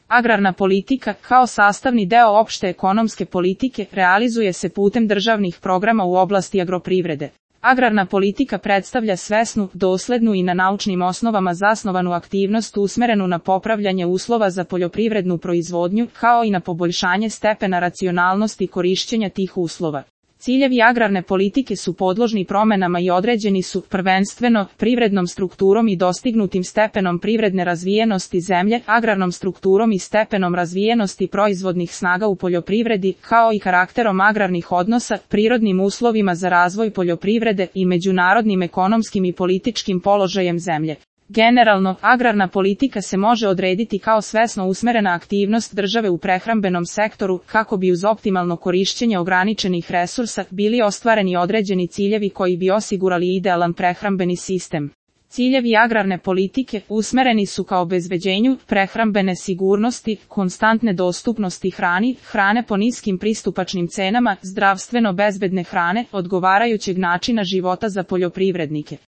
Agrarna politika, kao sastavni deo opšte ekonomske politike, realizuje se putem državnih programa u oblasti agroprivrede. Agrarna politika predstavlja svesnu, doslednu i na naučnim osnovama zasnovanu aktivnost usmerenu na popravljanje uslova za poljoprivrednu proizvodnju, kao i na poboljšanje stepena racionalnosti korišćenja tih uslova. Ciljevi agrarne politike su podložni promenama i određeni su, prvenstveno, privrednom strukturom i dostignutim stepenom privredne razvijenosti zemlje, agrarnom strukturom i stepenom razvijenosti proizvodnih snaga u poljoprivredi, kao i karakterom agrarnih odnosa, prirodnim uslovima za razvoj poljoprivrede i međunarodnim ekonomskim i političkim položajem zemlje. Generalno, agrarna politika se može odrediti kao svesno usmerena aktivnost države u prehrambenom sektoru, kako bi uz optimalno korišćenje ograničenih resursa bili ostvareni određeni ciljevi koji bi osigurali idealan prehrambeni sistem. Ciljevi agrarne politike usmereni su ka obezbeđenju prehrambene sigurnosti, konstantne dostupnosti hrane po niskim pristupačnim cenama, zdravstveno bezbedne hrane, odgovarajućeg načina života za poljoprivrednike.